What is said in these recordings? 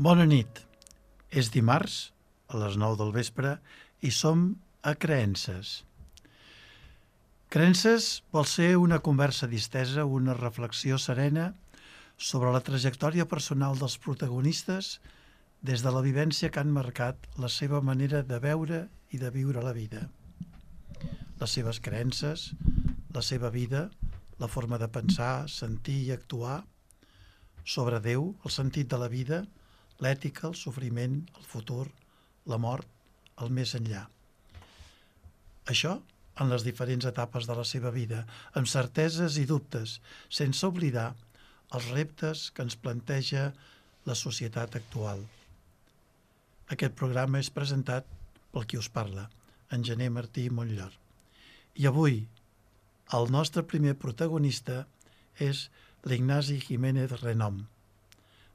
Bona nit. És dimarts, a les 9 del vespre, i som a Creences. Creences vol ser una conversa distesa, una reflexió serena sobre la trajectòria personal dels protagonistes des de la vivència que han marcat la seva manera de veure i de viure la vida. Les seves creences, la seva vida, la forma de pensar, sentir i actuar sobre Déu, el sentit de la vida, l'ètica, el sofriment, el futur, la mort, el més enllà. Això en les diferents etapes de la seva vida, amb certeses i dubtes, sense oblidar els reptes que ens planteja la societat actual. Aquest programa és presentat pel qui us parla, en Gener Martí Montllor. I avui, el nostre primer protagonista és l'Ignasi Jiménez Renom,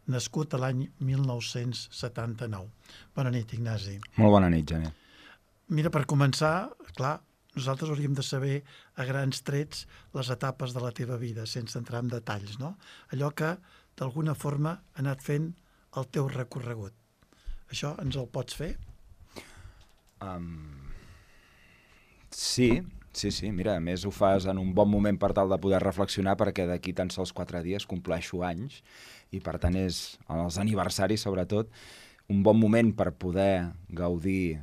nascut a l'any 1979. Bona nit, Ignasi. Molt bona nit, Gener. Mira, per començar, clar, nosaltres hauríem de saber a grans trets les etapes de la teva vida, sense entrar en detalls, no? Allò que, d'alguna forma, ha anat fent el teu recorregut. Això ens el pots fer? Sí. Mira, a més ho fas en un bon moment per tal de poder reflexionar, perquè d'aquí tan sols 4 dies compleixo anys i per tant és, els aniversaris sobretot, un bon moment per poder gaudir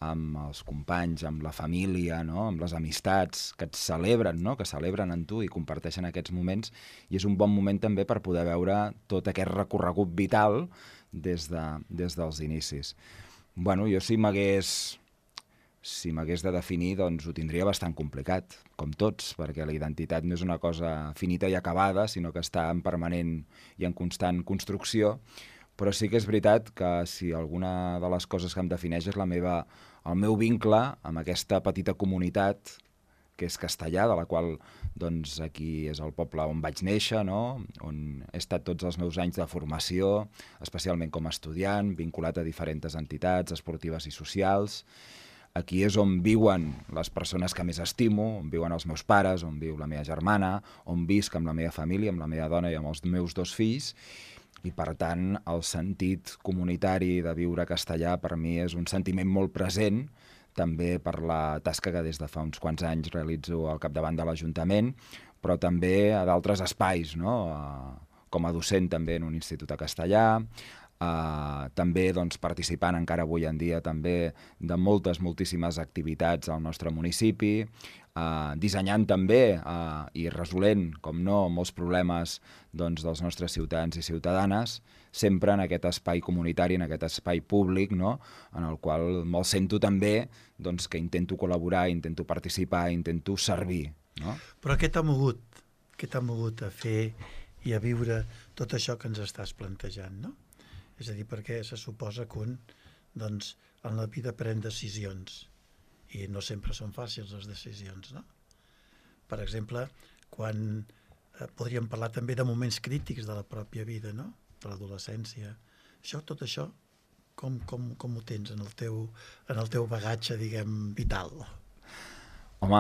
amb els companys, amb la família, no? Amb les amistats que et celebren, no? Que celebren en tu i comparteixen aquests moments, i és un bon moment també per poder veure tot aquest recorregut vital des dels inicis. Bueno, jo si m'hagués de definir, doncs ho tindria bastant complicat, com tots, perquè la identitat no és una cosa finita i acabada, sinó que està en permanent i en constant construcció, però sí que és veritat que si alguna de les coses que em defineix és el meu vincle amb aquesta petita comunitat que és Castellar, de la qual doncs, aquí és el poble on vaig néixer, no? On he estat tots els meus anys de formació, especialment com a estudiant, vinculat a diferents entitats esportives i socials. Aquí és on viuen les persones que més estimo, on viuen els meus pares, on viu la meva germana, on visc amb la meva família, amb la meva dona i amb els meus 2 fills, i per tant el sentit comunitari de viure a Castellar per mi és un sentiment molt present, també per la tasca que des de fa uns quants anys realitzo al capdavant de l'Ajuntament, però també a d'altres espais, no? Com a docent també en un institut a Castellar, també doncs, participant encara avui en dia també de moltíssimes activitats al nostre municipi, dissenyant també i resolent, com no, molts problemes doncs, dels nostres ciutadans i ciutadanes, sempre en aquest espai comunitari, en aquest espai públic, no? En el qual me'l sento també doncs, que intento col·laborar, intento participar, intento servir. No? Però què t'ha mogut a fer i a viure tot això que ens estàs plantejant, no? És a dir, perquè se suposa que un, doncs, en la vida pren decisions i no sempre són fàcils les decisions, no? Per exemple, quan podríem parlar també de moments crítics de la pròpia vida, no? De l'adolescència. Tot això, com ho tens en el teu bagatge, diguem, vital? Home,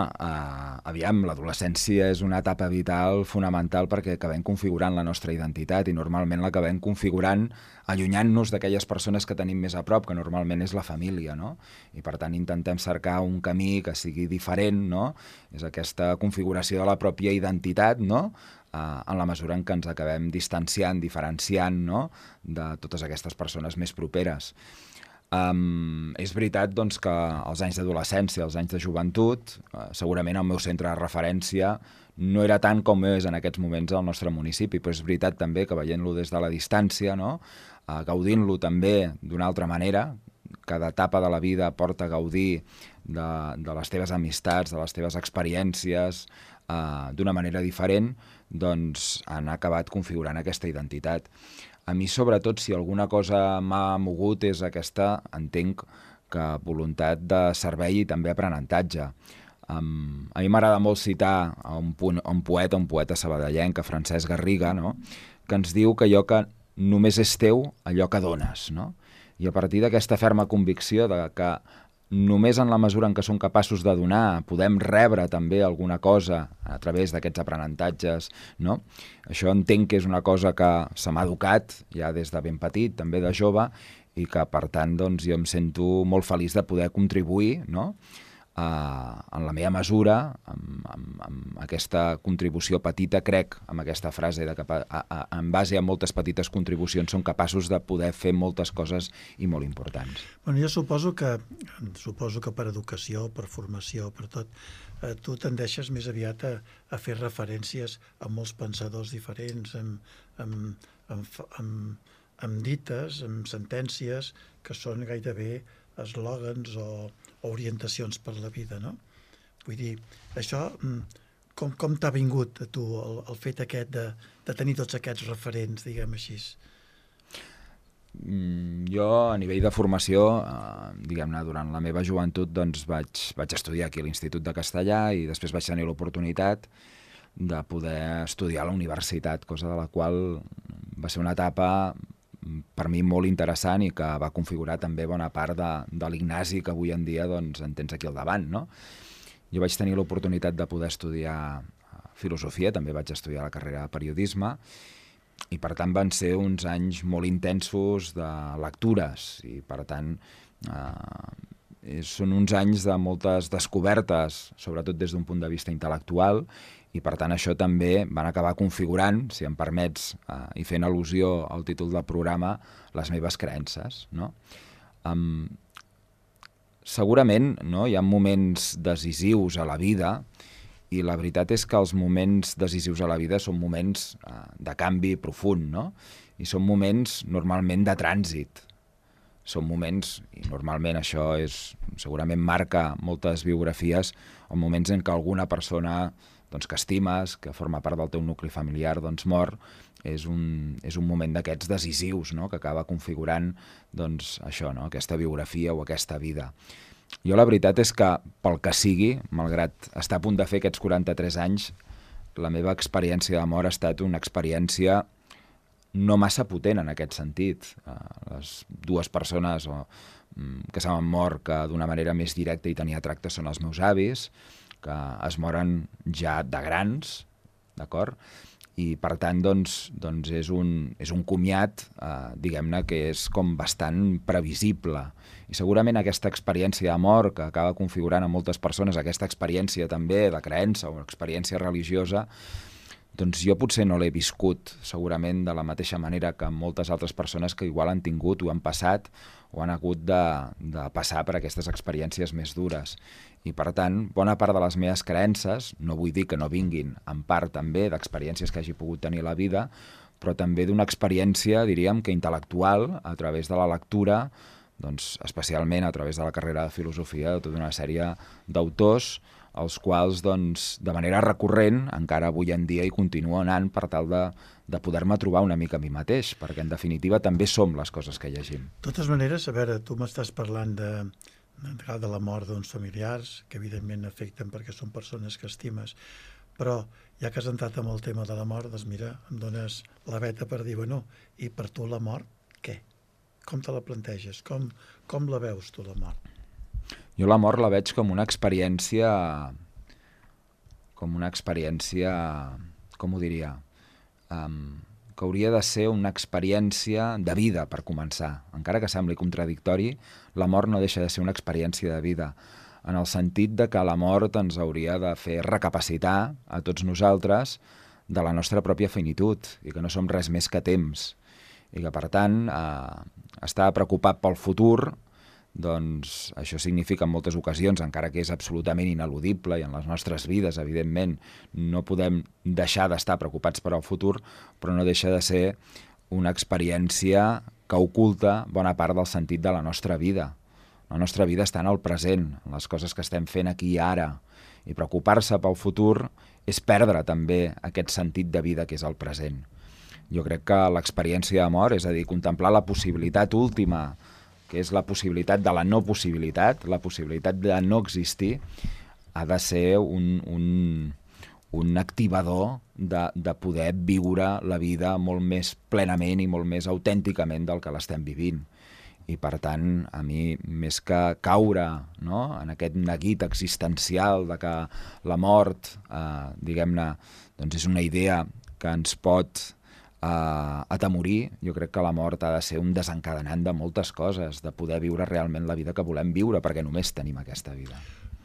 aviam, l'adolescència és una etapa vital fonamental perquè acabem configurant la nostra identitat i normalment l'acabem configurant allunyant-nos d'aquelles persones que tenim més a prop, que normalment és la família, no? I per tant intentem cercar un camí que sigui diferent, no? És aquesta configuració de la pròpia identitat, no? En la mesura en què ens acabem distanciant, diferenciant, no? De totes aquestes persones més properes. És veritat doncs, que els anys d'adolescència, els anys de joventut, segurament el meu centre de referència no era tant com és en aquests moments al nostre municipi, però és veritat també que veient-lo des de la distància, no? Gaudint-lo també d'una altra manera, cada etapa de la vida porta a gaudir de les teves amistats, de les teves experiències d'una manera diferent, doncs han acabat configurant aquesta identitat. A mi, sobretot, si alguna cosa m'ha mogut és aquesta, entenc, que voluntat de servei i també aprenentatge. A mi m'agrada molt citar un poeta sabadellenc, Francesc Garriga, no? Que ens diu que allò que només és teu, allò que dones, no? I a partir d'aquesta ferma convicció de que només en la mesura en què som capaços de donar, podem rebre també alguna cosa a través d'aquests aprenentatges, no? Això entenc que és una cosa que se m'ha educat ja des de ben petit, també de jove, i que, per tant, doncs, jo em sento molt feliç de poder contribuir, no?, en la meva mesura, amb aquesta contribució petita, crec, amb aquesta frase de que en base a moltes petites contribucions som capaços de poder fer moltes coses i molt importants. Bueno, jo suposo que per educació, per formació, per tot, tu tendeixes més aviat a fer referències a molts pensadors diferents, amb dites, amb sentències que són gairebé eslògans o orientacions per la vida, no? Vull dir, això, com t'ha vingut a tu el fet aquest de tenir tots aquests referents, diguem així? Jo, a nivell de formació, diguem-ne, durant la meva joventut, doncs vaig estudiar aquí a l'Institut de Castellà i després vaig tenir l'oportunitat de poder estudiar a la universitat, cosa de la qual va ser una etapa per mi molt interessant i que va configurar també bona part de l'Ignasi que avui en dia doncs, en tens aquí al davant, no? Jo vaig tenir l'oportunitat de poder estudiar filosofia, també vaig estudiar la carrera de periodisme, i per tant van ser uns anys molt intensos de lectures, i per tant són uns anys de moltes descobertes, sobretot des d'un punt de vista intel·lectual, i per tant això també van acabar configurant, si em permets, i fent al·lusió al títol del programa, les meves creences, no? Segurament, no, hi ha moments decisius a la vida, i la veritat és que els moments decisius a la vida són moments de canvi profund, no? I són moments normalment de trànsit. Són moments, i normalment això segurament marca moltes biografies, o moments en què alguna persona doncs, que estimes, que forma part del teu nucli familiar, doncs mor, és un moment d'aquests decisius, no?, que acaba configurant doncs, això, no?, aquesta biografia o aquesta vida. Jo la veritat és que, pel que sigui, malgrat estar a punt de fer aquests 43 anys, la meva experiència de mort ha estat una experiència no massa potent en aquest sentit. Les dues persones que s'han mort que d'una manera més directa i tenia tracte són els meus avis, que es moren ja de grans, d'acord? I per tant doncs és un comiat, diguem-ne, que és com bastant previsible. I segurament aquesta experiència de mort que acaba configurant a moltes persones, aquesta experiència també de creença o experiència religiosa, doncs jo potser no l'he viscut segurament de la mateixa manera que moltes altres persones que igual han tingut o han passat o han hagut de passar per aquestes experiències més dures. I per tant, bona part de les meves creences, no vull dir que no vinguin en part també d'experiències que hagi pogut tenir a la vida, però també d'una experiència, diríem, que intel·lectual, a través de la lectura, doncs especialment a través de la carrera de filosofia, de tota una sèrie d'autors, els quals, doncs, de manera recurrent, encara avui en dia hi continuo anant per tal de poder-me trobar una mica a mi mateix, perquè en definitiva també som les coses que llegim. De totes maneres, a veure, tu m'estàs parlant de la mort d'uns familiars, que evidentment afecten perquè són persones que estimes, però ja que has entrat amb el tema de la mort, doncs mira, em dones la veta per dir, bueno, i per tu la mort, què? Com te la planteges? Com la veus tu, la mort? Jo la mort la veig com una experiència, com ho diria, que hauria de ser una experiència de vida, per començar. Encara que sembli contradictori, la mort no deixa de ser una experiència de vida, en el sentit de que la mort ens hauria de fer recapacitar a tots nosaltres de la nostra pròpia finitud i que no som res més que temps. I que, per tant, estar preocupat pel futur, doncs això significa en moltes ocasions, encara que és absolutament ineludible i en les nostres vides, evidentment, no podem deixar d'estar preocupats per al futur, però no deixa de ser una experiència que oculta bona part del sentit de la nostra vida. La nostra vida està en el present, en les coses que estem fent aquí i ara, i preocupar-se pel futur és perdre també aquest sentit de vida que és el present. Jo crec que l'experiència de mort, és a dir, contemplar la possibilitat última, que és la possibilitat de la no possibilitat, la possibilitat de no existir, ha de ser un activador de poder viure la vida molt més plenament i molt més autènticament del que l'estem vivint. I per tant, a mi, més que caure, no?, en aquest neguit existencial de que la mort, diguem-ne, doncs és una idea que ens pot atemorir, jo crec que la mort ha de ser un desencadenant de moltes coses, de poder viure realment la vida que volem viure, perquè només tenim aquesta vida.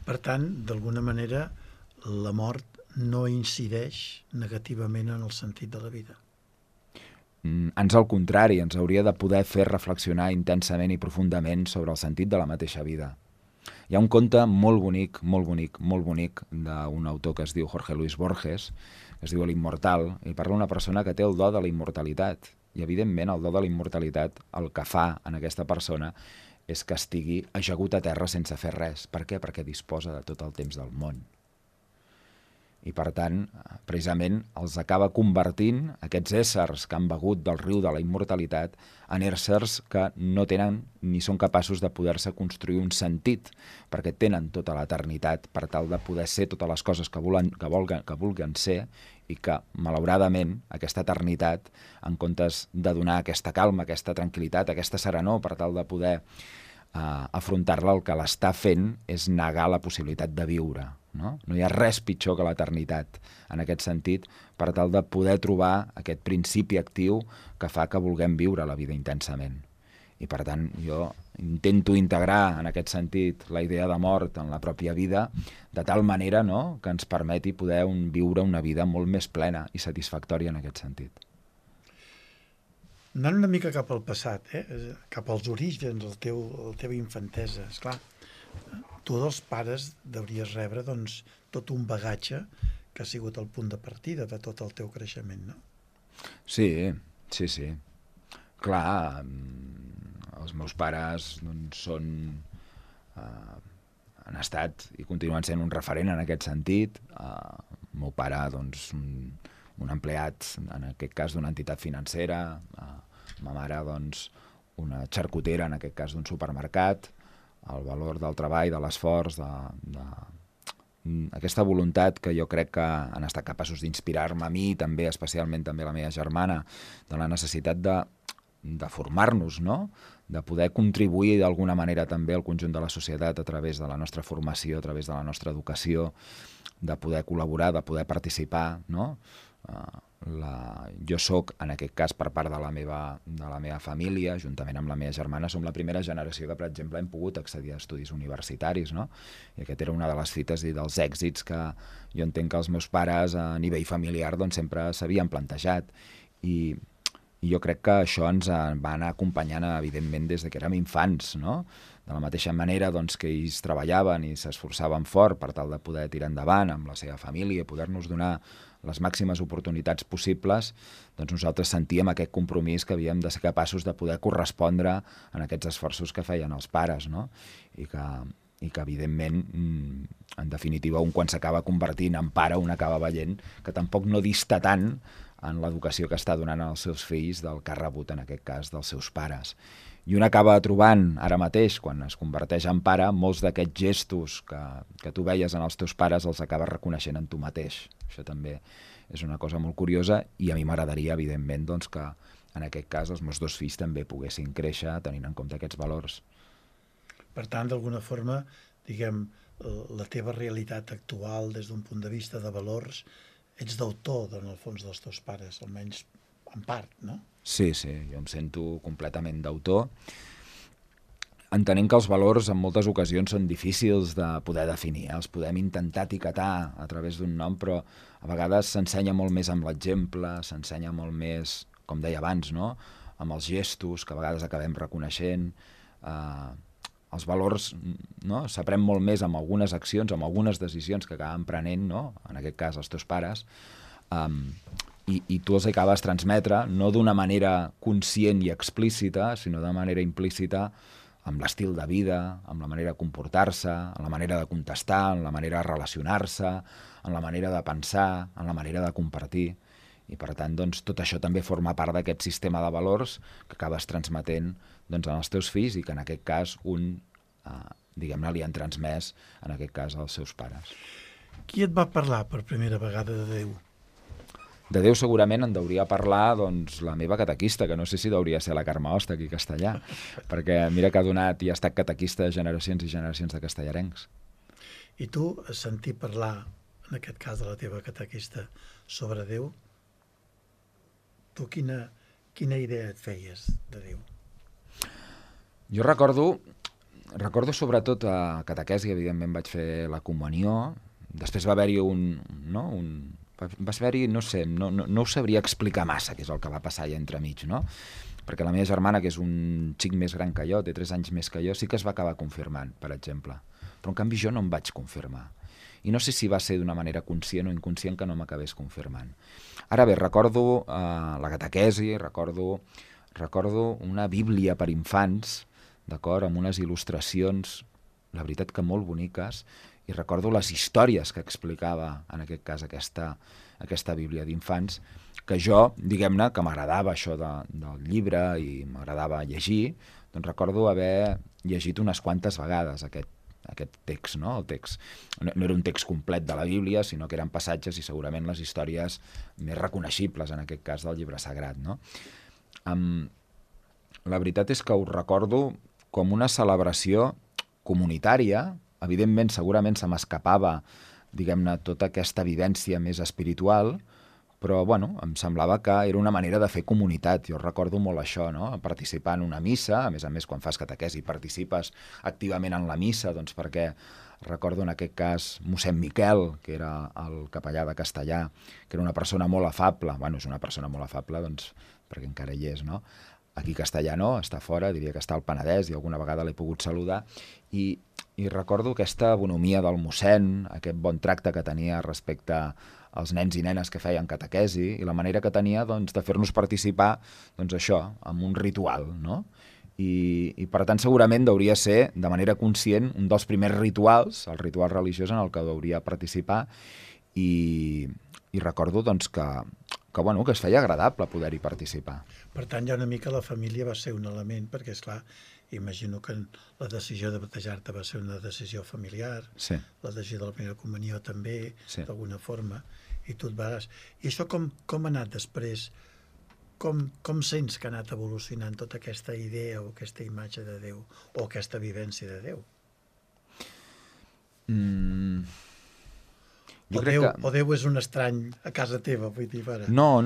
Per tant, d'alguna manera, la mort no incideix negativament en el sentit de la vida. Ans al contrari, ens hauria de poder fer reflexionar intensament i profundament sobre el sentit de la mateixa vida. Hi ha un conte molt bonic, molt bonic, molt bonic, d'un autor que es diu Jorge Luis Borges, que es diu L'Immortal, i parla d'una persona que té el do de la immortalitat. I, evidentment, el do de la immortalitat el que fa en aquesta persona és que estigui ajagut a terra sense fer res. Per què? Perquè disposa de tot el temps del món. I, per tant, precisament els acaba convertint aquests éssers que han begut del riu de la immortalitat en éssers que no tenen ni són capaços de poder-se construir un sentit, perquè tenen tota l'eternitat per tal de poder ser totes les coses que vulguen ser, i que, malauradament, aquesta eternitat, en comptes de donar aquesta calma, aquesta tranquil·litat, aquesta serenor per tal de poder afrontar-la, el que l'està fent és negar la possibilitat de viure. No hi ha res pitjor que l'eternitat en aquest sentit, per tal de poder trobar aquest principi actiu que fa que vulguem viure la vida intensament. I, per tant, jo intento integrar en aquest sentit la idea de mort en la pròpia vida, de tal manera, no?, que ens permeti poder viure una vida molt més plena i satisfactòria en aquest sentit. Anant una mica cap al passat, cap als orígens, la teva infantesa, esclar, tu dels pares devries rebre doncs, tot un bagatge que ha sigut el punt de partida de tot el teu creixement, no? Sí. Clar, els meus pares doncs, han estat i continuen sent un referent en aquest sentit. El meu pare, doncs, un empleat, en aquest cas, d'una entitat financera, ma mare, doncs, una xarcutera, en aquest cas, d'un supermercat. El valor del treball, de l'esforç, aquesta voluntat que jo crec que han estat capaços d'inspirar-me a mi, també, especialment també la meva germana, de la necessitat de formar-nos, no?, de poder contribuir d'alguna manera també al conjunt de la societat a través de la nostra formació, a través de la nostra educació, de poder col·laborar, de poder participar, no? Jo soc, en aquest cas, per part de la meva família, juntament amb la meva germana, som la primera generació que, per exemple, hem pogut accedir a estudis universitaris, no? I aquest era una de les fites i dels èxits que jo entenc que els meus pares, a nivell familiar, doncs, sempre s'havien plantejat. I jo crec que això ens va anar acompanyant, evidentment, des que érem infants, no? De la mateixa manera doncs, que ells treballaven i s'esforçaven fort per tal de poder tirar endavant amb la seva família, poder-nos donar les màximes oportunitats possibles, doncs nosaltres sentíem aquest compromís que havíem de ser capaços de poder correspondre en aquests esforços que feien els pares, no? I que evidentment, en definitiva, un quan s'acaba convertint en pare, un acaba veient que tampoc no dista tant en l'educació que està donant als seus fills del que ha rebut, en aquest cas, dels seus pares. I un acaba trobant, ara mateix, quan es converteix en pare, molts d'aquests gestos que tu veies en els teus pares els acabes reconeixent en tu mateix. Això també és una cosa molt curiosa i a mi m'agradaria, evidentment, doncs, que en aquest cas els meus dos fills també poguessin créixer tenint en compte aquests valors. Per tant, d'alguna forma, diguem, la teva realitat actual des d'un punt de vista de valors, ets d'autor, en el fons, dels teus pares, almenys en part, no? Sí, jo em sento completament d'autor, entenent que els valors en moltes ocasions són difícils de poder definir, els podem intentar etiquetar a través d'un nom, però a vegades s'ensenya molt més amb l'exemple, s'ensenya molt més, com deia abans, no?, amb els gestos que a vegades acabem reconeixent. Els valors, no?, s'aprèn molt més amb algunes accions, amb algunes decisions que acaben prenent, no?, en aquest cas els teus pares, i tu els acabes transmetre no d'una manera conscient i explícita, sinó de manera implícita amb l'estil de vida, amb la manera de comportar-se, amb la manera de contestar, amb la manera de relacionar-se, amb la manera de pensar, amb la manera de compartir. I, per tant, doncs, tot això també forma part d'aquest sistema de valors que acabes transmetent doncs, als teus fills i que, en aquest cas, diguem-ne, li han transmès, en aquest cas, als seus pares. Qui et va parlar per primera vegada de Déu? De Déu segurament en deuria parlar doncs, la meva catequista, que no sé si deuria ser la Carme Hosta aquí a Castellà, perquè mira que ha donat i ha estat catequista de generacions i generacions de castellarencs. I tu, sentir parlar, en aquest cas de la teva catequista, sobre Déu, tu quina idea et feies de Déu? Jo recordo sobretot a catequesi, evidentment vaig fer la comunió, després va haver-hi va haver-hi, no sé, no ho sabria explicar massa què és el que va passar allà entremig, no? Perquè la meva germana, que és un xic més gran que jo, té 3 anys més que jo, sí que es va acabar confirmant, per exemple. Però en canvi jo no em vaig confirmar. I no sé si va ser d'una manera conscient o inconscient que no m'acabés confirmant. Ara bé, recordo la catequesi, recordo una bíblia per infants, d'acord, amb unes il·lustracions, la veritat que molt boniques, i recordo les històries que explicava, en aquest cas, aquesta bíblia d'infants, que jo, diguem-ne, que m'agradava això del llibre i m'agradava llegir, doncs recordo haver llegit unes quantes vegades aquest text, no? El text no era un text complet de la Bíblia, sinó que eren passatges i segurament les històries més reconeixibles, en aquest cas, del llibre sagrat, no? La veritat és que ho recordo com una celebració comunitària. Evidentment, segurament se m'escapava, diguem-ne, tota aquesta vivència més espiritual, però, bueno, em semblava que era una manera de fer comunitat. Jo recordo molt això, no? Participar en una missa, a més, quan fas catequesi participes activament en la missa, doncs perquè recordo en aquest cas mossèn Miquel, que era el capellà de Castellà, que era una persona molt afable, bueno, és una persona molt afable, doncs, perquè encara hi és, no? Aquí a Castellà no, està fora, diria que està al Penedès i alguna vegada l'he pogut saludar, i recordo aquesta bonomia del mossèn, aquest bon tracte que tenia respecte als nens i nenes que feien catequesi i la manera que tenia doncs, de fer-nos participar doncs, això, amb un ritual, no? I per tant segurament deuria ser de manera conscient un dels primers rituals, el ritual religiós en el que hauria participar i recordo doncs, que es feia agradable poder-hi participar. Per tant, ja una mica la família va ser un element, perquè, esclar, imagino que la decisió de batejar-te va ser una decisió familiar, sí. La decisió de la primera comunió també, sí. D'alguna forma, i tu et vas... I això com ha anat després? Com sents que ha anat evolucionant tota aquesta idea o aquesta imatge de Déu o aquesta vivència de Déu? O Déu és un estrany a casa teva, vull dir, ara. No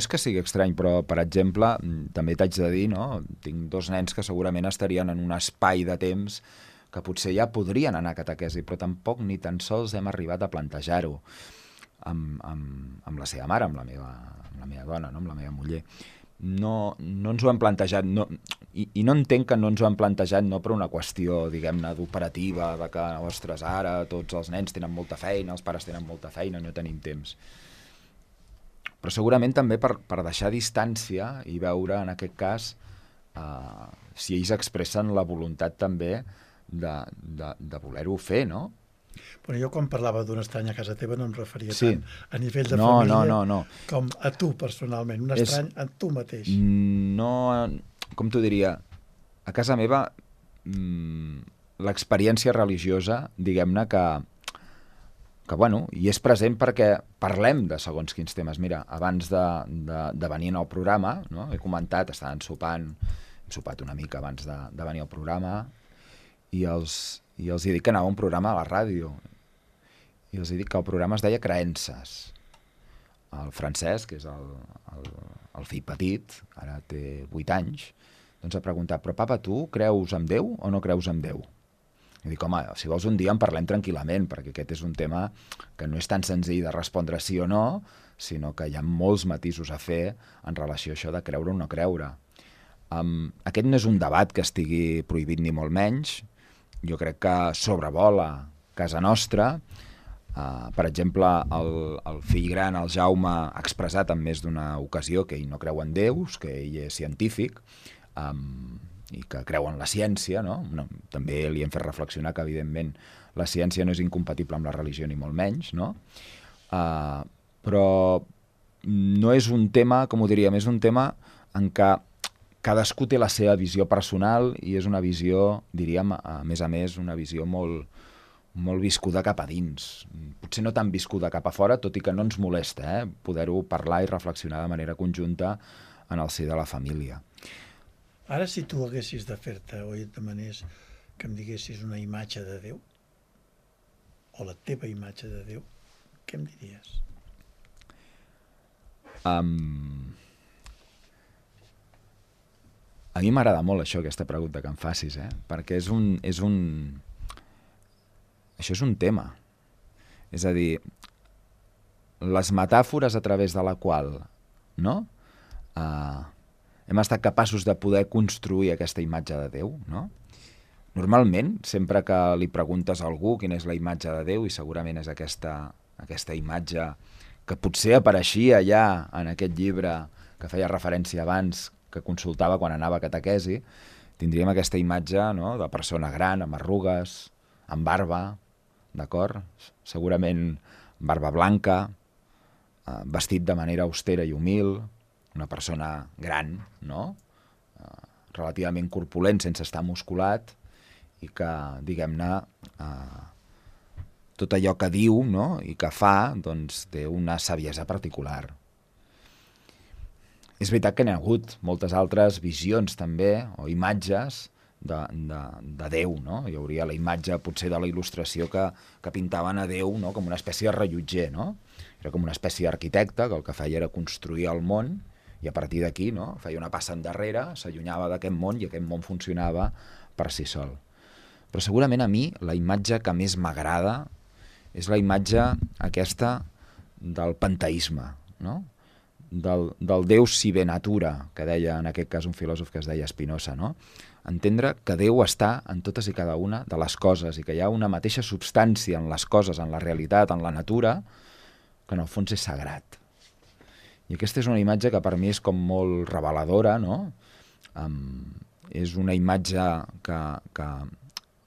és que sigui estrany, però, per exemple, també t'haig de dir, no? Tinc 2 nens que segurament estarien en un espai de temps que potser ja podrien anar a catequesi, però tampoc ni tan sols hem arribat a plantejar-ho amb la seva mare, amb la meva dona, no? Amb la meva muller. No ens ho hem plantejat, i no entenc que no ens ho hem plantejat no per una qüestió, diguem-ne, d'operativa, de que, ostres, ara tots els nens tenen molta feina, els pares tenen molta feina, no tenim temps. Però segurament també per deixar distància i veure, en aquest cas, si ells expressen la voluntat també de voler-ho fer, no? Però jo quan parlava d'un estrany a casa teva no em referia sí. tant a nivell de família no. Com a tu personalment, un estrany a tu mateix. No, com t'ho diria, a casa meva l'experiència religiosa, diguem-ne que bueno, hi és present perquè parlem de segons quins temes. Mira, abans de venir al programa, no? He comentat, estàvem sopant, hem sopat una mica abans de venir al programa i els he dit que anava a un programa a la ràdio i els he dit que el programa es deia Creences. El Francesc, que és el fill petit, ara té 8 anys, doncs ha preguntat, però papa, tu creus en Déu o no creus en Déu? I dic, home, si vols un dia en parlem tranquil·lament, perquè aquest és un tema que no és tan senzill de respondre sí o no, sinó que hi ha molts matisos a fer en relació a això de creure o no creure. Aquest no és un debat que estigui prohibit ni molt menys. Jo crec que sobrevola casa nostra. Per exemple, el fill gran, el Jaume, ha expressat en més d'una ocasió que ell no creu en déus, que ell és científic i que creu en la ciència, no? També li hem fet reflexionar que, evidentment, la ciència no és incompatible amb la religió ni molt menys, no? Però no és un tema, com ho diríem, és un tema en què cadascú té la seva visió personal i és una visió, diríem, a més, una visió molt, molt viscuda cap a dins. Potser no tan viscuda cap a fora, tot i que no ens molesta poder-ho parlar i reflexionar de manera conjunta en el si de la família. Ara, si tu haguessis de fer-te o et demanés que em diguessis una imatge de Déu, o la teva imatge de Déu, què em diries? A mi m'agrada molt això, aquesta pregunta que em facis, perquè això és un tema. És a dir, les metàfores a través de la qual, no? Hem estat capaços de poder construir aquesta imatge de Déu, no? Normalment, sempre que li preguntes a algú quina és la imatge de Déu, i segurament és aquesta imatge que potser apareixia ja en aquest llibre que feia referència abans, que consultava quan anava a catequesi, tindríem aquesta imatge, no?, de persona gran, amb arrugues, amb barba, d'acord? Segurament barba blanca, vestit de manera austera i humil, una persona gran, no?, relativament corpulent, sense estar musculat, i que, diguem-ne, tot allò que diu, no?, i que fa, doncs, té una saviesa particular. És veritat que n'hi ha hagut moltes altres visions, també, o imatges de Déu, no? Hi hauria la imatge, potser, de la il·lustració que pintaven a Déu, no?, com una espècie de rellotger, no? Era com una espècie d'arquitecte que el que feia era construir el món, i a partir d'aquí, no?, feia una passa endarrere, s'allunyava d'aquest món, i aquest món funcionava per si sol. Però segurament a mi la imatge que més m'agrada és la imatge aquesta del panteisme, no?, del Déu si ve natura, que deia en aquest cas un filòsof que es deia Spinoza, no? Entendre que Déu està en totes i cada una de les coses i que hi ha una mateixa substància en les coses, en la realitat, en la natura, que en el fons és sagrat. I aquesta és una imatge que per mi és com molt reveladora, no? És una imatge que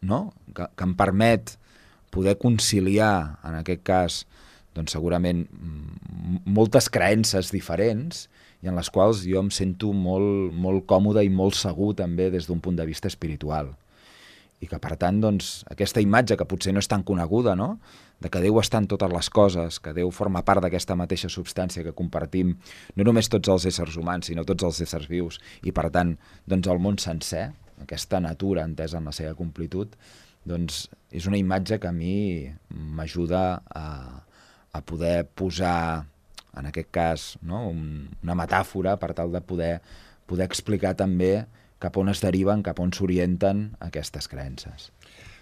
em permet poder conciliar, en aquest cas, doncs segurament moltes creences diferents i en les quals jo em sento molt, molt còmode i molt segur també des d'un punt de vista espiritual. I que, per tant, doncs, aquesta imatge que potser no és tan coneguda, no?, de que Déu està en totes les coses, que Déu forma part d'aquesta mateixa substància que compartim no només tots els éssers humans, sinó tots els éssers vius, i, per tant, doncs, el món sencer, aquesta natura entesa en la seva completud, doncs és una imatge que a mi m'ajuda a poder posar, en aquest cas, no?, una metàfora per tal de poder explicar també cap on es deriven, cap on s'orienten aquestes creences.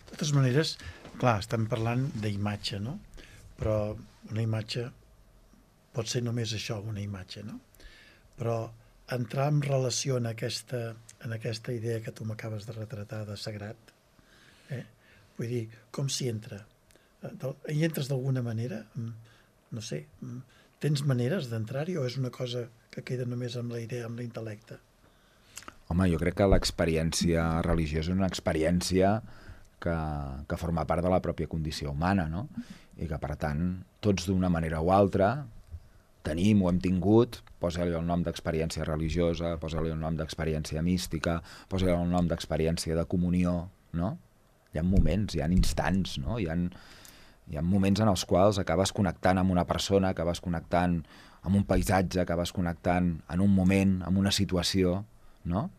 De totes maneres, clar, estem parlant d'imatge, no? Però una imatge pot ser només això, una imatge, no? Però entrar en relació en aquesta idea que tu m'acabes de retratar de sagrat, vull dir, com s'hi entra? Hi entres d'alguna manera? No sé, tens maneres d'entrar-hi o és una cosa que queda només amb la idea, amb l'intel·lecte? Home, jo crec que l'experiència religiosa és una experiència que forma part de la pròpia condició humana, no? I que, per tant, tots d'una manera o altra tenim o hem tingut, posa-li el nom d'experiència religiosa, posa-li el nom d'experiència mística, posa-li el nom d'experiència de comunió, no? Hi ha moments, hi ha instants, no? Hi ha moments en els quals acabes connectant amb una persona, acabes connectant amb un paisatge, acabes connectant en un moment, amb una situació, no?,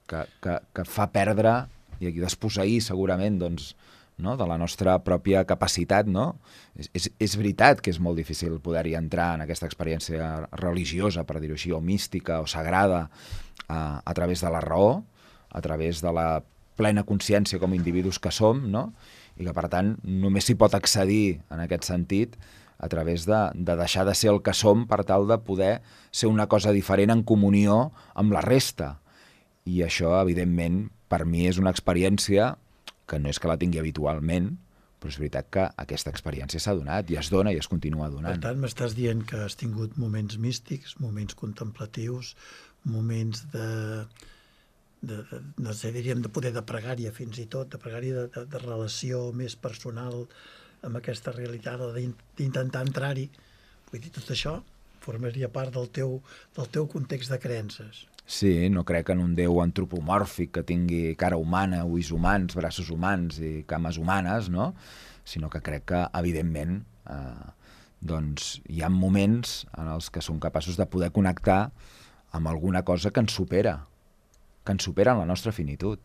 que fa perdre i desposseir segurament, doncs, no?, de la nostra pròpia capacitat, no? És veritat que és molt difícil poder-hi entrar en aquesta experiència religiosa, per dir-ho així, o mística o sagrada, a través de la raó, a través de la plena consciència com a individus que som, no?, i que, per tant, només s'hi pot accedir en aquest sentit a través de deixar de ser el que som per tal de poder ser una cosa diferent en comunió amb la resta. I això, evidentment, per mi és una experiència que no és que la tingui habitualment, però és veritat que aquesta experiència s'ha donat i es dona i es continua donant. Per tant, m'estàs dient que has tingut moments místics, moments contemplatius, moments no sé, diríem, de poder de pregària fins i tot, de pregària de relació més personal amb aquesta realitat, o d'intentar entrar-hi. Vull dir, tot això formaria part del teu context de creences. Sí, no crec en un déu antropomòrfic que tingui cara humana, ulls humans, braços humans i cames humanes, no? Sinó que crec que, evidentment, doncs hi ha moments en els que som capaços de poder connectar amb alguna cosa que ens supera en la nostra finitud.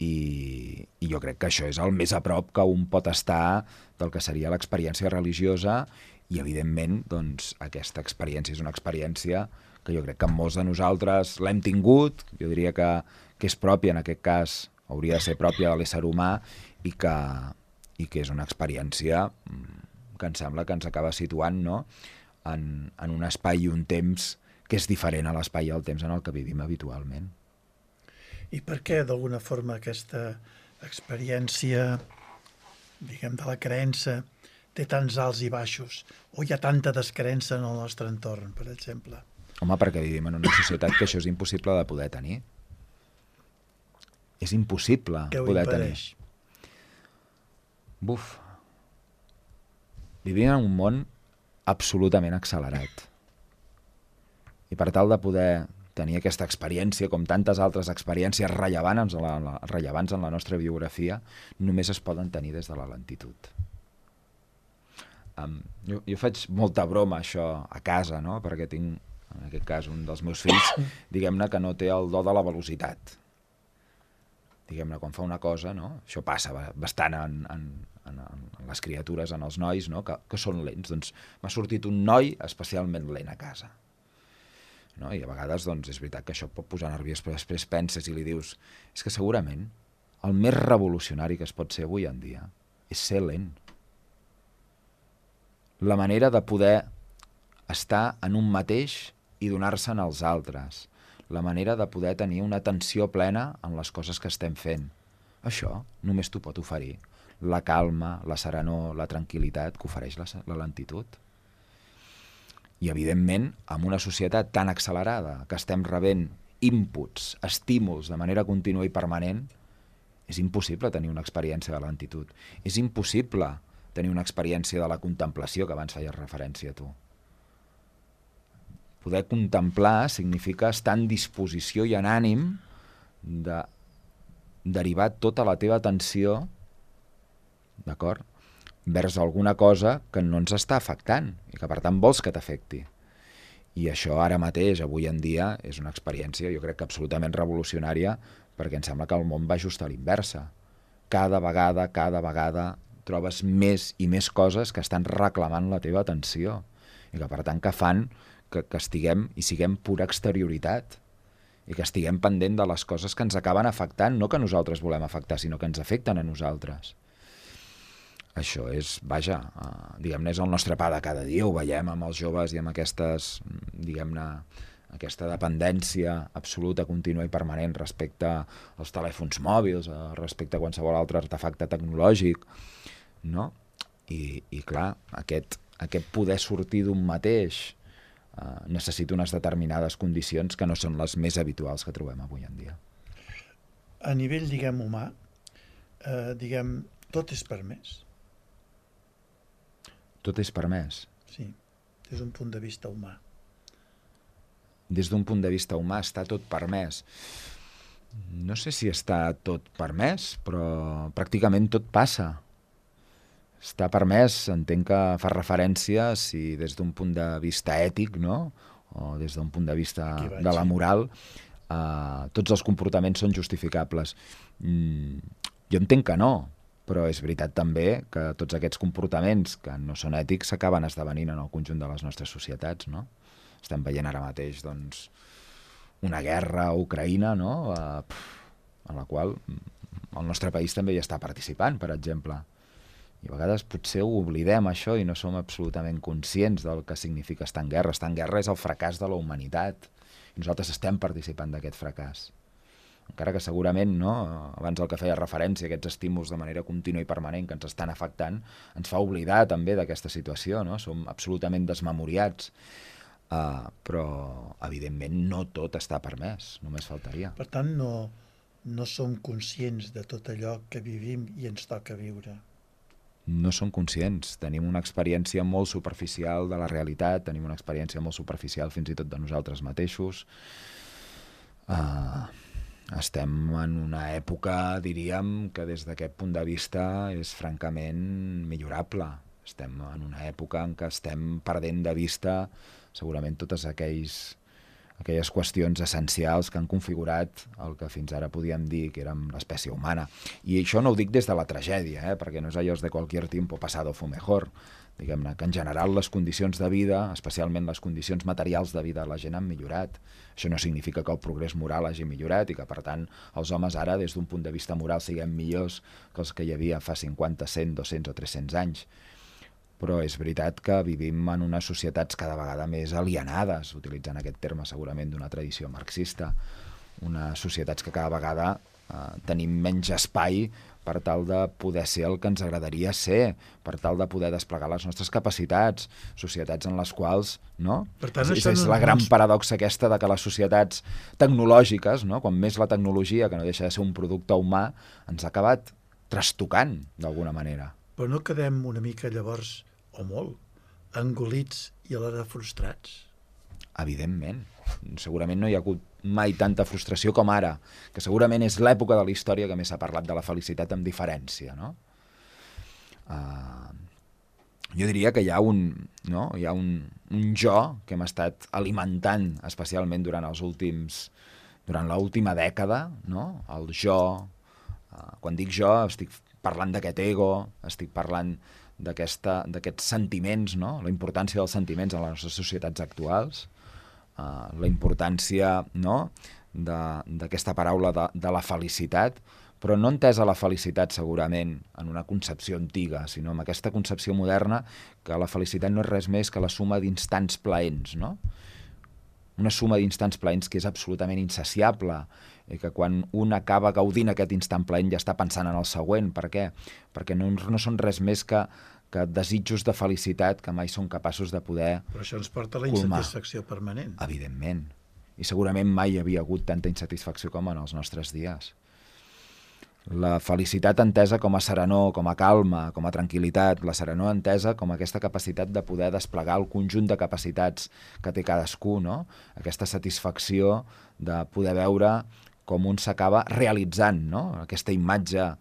I jo crec que això és el més a prop que un pot estar del que seria l'experiència religiosa i, evidentment, doncs, aquesta experiència és una experiència que jo crec que molts de nosaltres l'hem tingut, jo diria que és pròpia, en aquest cas, hauria de ser pròpia de l'ésser humà i que és una experiència que em sembla que ens acaba situant, no?, en un espai i un temps que és diferent a l'espai i al temps en el que vivim habitualment. I per què, d'alguna forma, aquesta experiència, diguem, de la creença té tants alts i baixos? O hi ha tanta descreença en el nostre entorn, per exemple? Home, perquè vivim en una societat que això és impossible de poder tenir. És impossible poder tenir. Què ho impedeix? Buf. Vivim en un món absolutament accelerat. I per tal de poder tenir aquesta experiència, com tantes altres experiències rellevants en la nostra biografia, només es poden tenir des de la lentitud. Jo faig molta broma, això, a casa, no?, perquè tinc, en aquest cas, un dels meus fills, diguem-ne que no té el do de la velocitat. Diguem-ne, quan fa una cosa, no?, això passa bastant en les criatures, en els nois, no?, que són lents. Doncs m'ha sortit un noi especialment lent a casa. No? I a vegades doncs, és veritat que això pot posar nerviós, però després penses i li dius és que segurament el més revolucionari que es pot ser avui en dia és ser lent. La manera de poder estar en un mateix i donar-se'n als altres. La manera de poder tenir una atenció plena en les coses que estem fent. Això només t'ho pot oferir la calma, la serenor, la tranquil·litat que ofereix la lentitud. I, evidentment, amb una societat tan accelerada que estem rebent inputs, estímuls de manera contínua i permanent, és impossible tenir una experiència de lentitud. És impossible tenir una experiència de la contemplació, que abans feies referència a tu. Poder contemplar significa estar en disposició i en ànim de derivar tota la teva atenció, d'acord?, vers alguna cosa que no ens està afectant i que per tant vols que t'afecti. I això ara mateix, avui en dia, és una experiència, jo crec que absolutament revolucionària, perquè em sembla que el món va just a l'inversa. Cada vegada trobes més i més coses que estan reclamant la teva atenció i que per tant que fan que estiguem i siguem pura exterioritat i que estiguem pendent de les coses que ens acaben afectant, no que nosaltres volem afectar, sinó que ens afecten a nosaltres. Això és, vaja, diguem-ne, és el nostre pa de cada dia, ho veiem amb els joves i amb aquestes, diguem-ne, aquesta dependència absoluta, contínua i permanent respecte als telèfons mòbils, respecte a qualsevol altre artefacte tecnològic, no? I clar, aquest poder sortir d'un mateix necessita unes determinades condicions que no són les més habituals que trobem avui en dia. A nivell, diguem, humà, tot és permès. Tot és permès. Sí, des d'un punt de vista humà. Des d'un punt de vista humà està tot permès. No sé si està tot permès, però pràcticament tot passa. Està permès, entenc que fa referència, si des d'un punt de vista ètic, no?, o des d'un punt de vista de la moral, tots els comportaments són justificables. Jo entenc que no, però és veritat també que tots aquests comportaments que no són ètics s'acaben esdevenint en el conjunt de les nostres societats, no? Estem veient ara mateix, doncs, una guerra a Ucraïna, no?, en la qual el nostre país també hi està participant, per exemple. I a vegades potser ho oblidem, això, i no som absolutament conscients del que significa estar en guerra. Estar en guerra és el fracàs de la humanitat, i nosaltres estem participant d'aquest fracàs. Encara que segurament, no, abans el que feia referència, aquests estímuls de manera contínua i permanent que ens estan afectant, ens fa oblidar també d'aquesta situació, no? Som absolutament desmemoriats, però evidentment no tot està permès, només faltaria. Per tant, no som conscients de tot allò que vivim i ens toca viure. No som conscients, tenim una experiència molt superficial de la realitat, tenim una experiència molt superficial fins i tot de nosaltres mateixos. Estem en una època, diríem, que des d'aquest punt de vista és francament millorable. Estem en una època en què estem perdent de vista segurament totes aquelles qüestions essencials que han configurat el que fins ara podíem dir que érem l'espècie humana. I això no ho dic des de la tragèdia, perquè no és allò de qualsevol tiempo pasado fue mejor. Diguem-ne que en general les condicions de vida, especialment les condicions materials de vida de la gent han millorat. Això no significa que el progrés moral hagi millorat i que, per tant, els homes ara, des d'un punt de vista moral, siguem millors que els que hi havia fa 50, 100, 200 o 300 anys. Però és veritat que vivim en unes societats cada vegada més alienades, utilitzant aquest terme segurament d'una tradició marxista, unes societats que cada vegada tenim menys espai per tal de poder ser el que ens agradaria ser, per tal de poder desplegar les nostres capacitats, societats en les quals, no? Per tant, és la gran paradoxa aquesta de que les societats tecnològiques, no? Quan més la tecnologia, que no deixa de ser un producte humà, ens ha acabat trastocant d'alguna manera. Però no quedem una mica llavors, o molt, engolits i alhora frustrats? Evidentment. Segurament no hi ha hagut mai tanta frustració com ara, que segurament és l'època de la història que més s'ha parlat de la felicitat amb diferència, no? Jo diria que hi ha un jo que hem estat alimentant especialment durant l'última dècada, no? El jo, quan dic jo estic parlant d'aquest ego, estic parlant d'aquests sentiments, no? La importància dels sentiments en les nostres societats actuals, la importància, no? d'aquesta paraula de la felicitat, però no entesa la felicitat segurament en una concepció antiga, sinó en aquesta concepció moderna que la felicitat no és res més que la suma d'instants plaents, no? Una suma d'instants plaents que és absolutament insaciable, i que quan un acaba gaudint aquest instant plaent ja està pensant en el següent. Per què? Perquè no són res més que desitjos de felicitat que mai són capaços de poder colmar. Però això ens porta a la insatisfacció permanent. Evidentment. I segurament mai hi havia hagut tanta insatisfacció com en els nostres dies. La felicitat entesa com a serenor, com a calma, com a tranquil·litat, la serenor entesa com aquesta capacitat de poder desplegar el conjunt de capacitats que té cadascú, no? Aquesta satisfacció de poder veure com un s'acaba realitzant, no? Aquesta imatge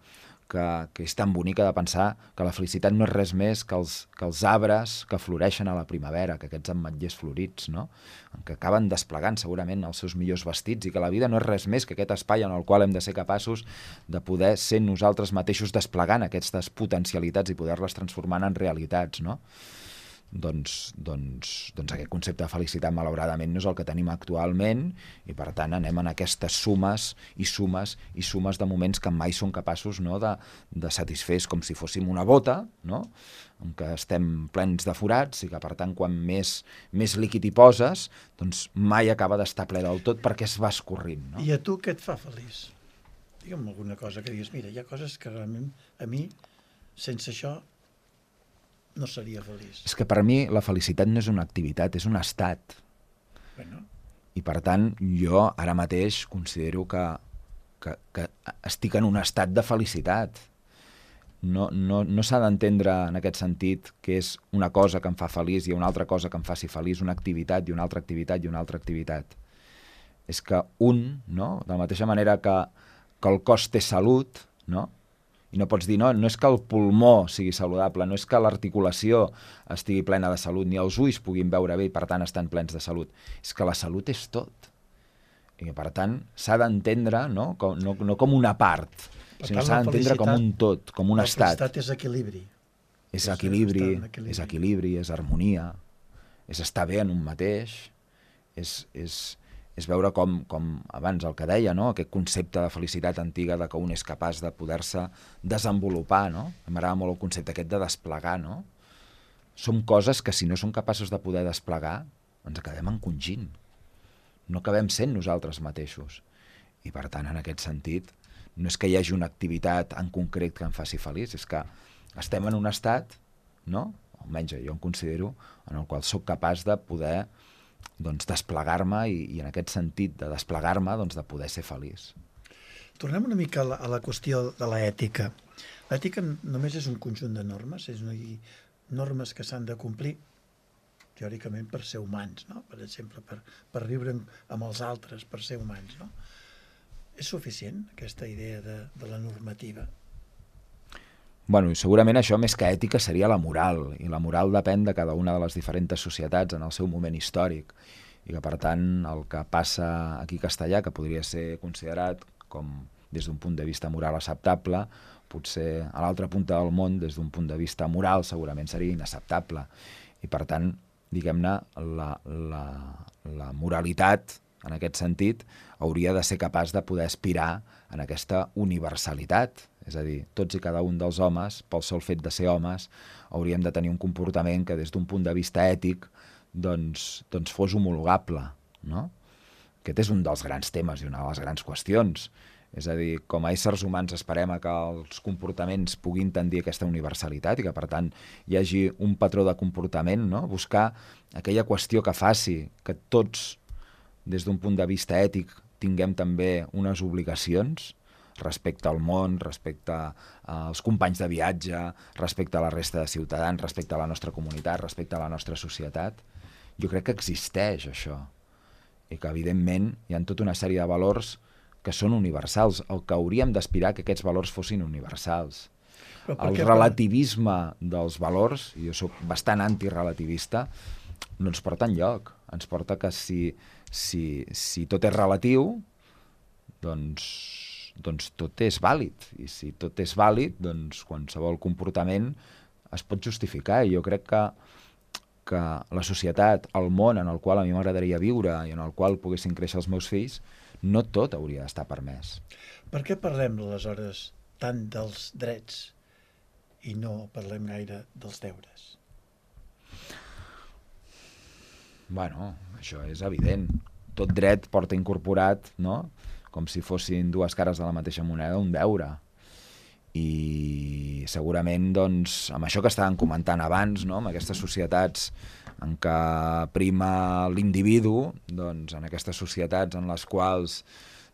que és tan bonica de pensar que la felicitat no és res més que els arbres que floreixen a la primavera, que aquests ametllers florits, no? Que acaben desplegant segurament els seus millors vestits i que la vida no és res més que aquest espai en el qual hem de ser capaços de poder ser nosaltres mateixos desplegant aquestes potencialitats i poder-les transformar en realitats, no? Doncs aquest concepte de felicitat malauradament no és el que tenim actualment i per tant anem en aquestes sumes i sumes i sumes de moments que mai són capaços, no, de satisfer, com si fóssim una bota, no? En què estem plens de forats i que per tant quan més líquid hi poses doncs mai acaba d'estar ple del tot perquè es va escorrint, no? I a tu què et fa feliç? Digue'm alguna cosa que digues, mira, hi ha coses que realment a mi sense això no seria feliç. És que per mi la felicitat no és una activitat, és un estat. Bueno. I per tant, jo ara mateix considero que estic en un estat de felicitat. No s'ha d'entendre en aquest sentit que és una cosa que em fa feliç i una altra cosa que em faci feliç, una activitat i una altra activitat i una altra activitat. És que no? De la mateixa manera que el cos té salut, no? I no pots dir, no és que el pulmó sigui saludable, no és que l'articulació estigui plena de salut, ni els ulls puguin veure bé i per tant estan plens de salut. És que la salut és tot. I per tant s'ha d'entendre no com una part, sinó s'ha d'entendre com un tot, com un estat. La felicitat és equilibri. És equilibri, és harmonia, és estar bé en un mateix, és veure com abans el que deia, no? Aquest concepte de felicitat antiga de que un és capaç de poder-se desenvolupar, no? M'agrada molt el concepte aquest de desplegar, no? Som coses que si no som capaços de poder desplegar ens acabem encongint. No acabem sent nosaltres mateixos. I per tant, en aquest sentit, no és que hi hagi una activitat en concret que em faci feliç, és que estem en un estat, no? Almenys jo em considero, en el qual sóc capaç de poder desplegar-me i en aquest sentit de desplegar-me de poder ser feliç. Tornem una mica a la qüestió de l'ètica. L'ètica només és un conjunt de normes, és normes que s'han de complir teòricament per ser humans, no? Per exemple, per viure amb els altres, per ser humans, no? És suficient aquesta idea de la normativa? Bueno, segurament això més que ètica seria la moral, i la moral depèn de cada una de les diferents societats en el seu moment històric, i que per tant el que passa aquí a Castellà, que podria ser considerat com des d'un punt de vista moral acceptable, potser a l'altra punta del món, des d'un punt de vista moral, segurament seria inacceptable. I per tant, diguem-ne, la moralitat, en aquest sentit, hauria de ser capaç de poder aspirar en aquesta universalitat. És a dir, tots i cada un dels homes, pel sol fet de ser homes, hauríem de tenir un comportament que des d'un punt de vista ètic doncs fos homologable, no? Aquest és un dels grans temes i una de les grans qüestions. És a dir, com a éssers humans esperem que els comportaments puguin tendir a aquesta universalitat i que, per tant, hi hagi un patró de comportament, no? Buscar aquella qüestió que faci que tots, des d'un punt de vista ètic, tinguem també unes obligacions respecte al món, respecte als companys de viatge, respecte a la resta de ciutadans, respecte a la nostra comunitat, respecte a la nostra societat. Jo crec que existeix això i que, evidentment, hi ha tota una sèrie de valors que són universals, o que hauríem d'aspirar que aquests valors fossin universals. El relativisme dels valors, i jo soc bastant antirelativista, no ens porta enlloc. Ens porta que si tot és relatiu, doncs tot és vàlid. I si tot és vàlid, doncs qualsevol comportament es pot justificar. I jo crec que la societat, el món en el qual a mi m'agradaria viure i en el qual poguessin créixer els meus fills, no tot hauria d'estar permès. Per què parlem, aleshores, tant dels drets i no parlem gaire dels deures? Bueno, això és evident. Tot dret porta incorporat, no?, com si fossin dues cares de la mateixa moneda, un deure. I segurament, doncs, amb això que estàvem comentant abans, no?, amb aquestes societats en què prima l'individu, doncs en aquestes societats en les quals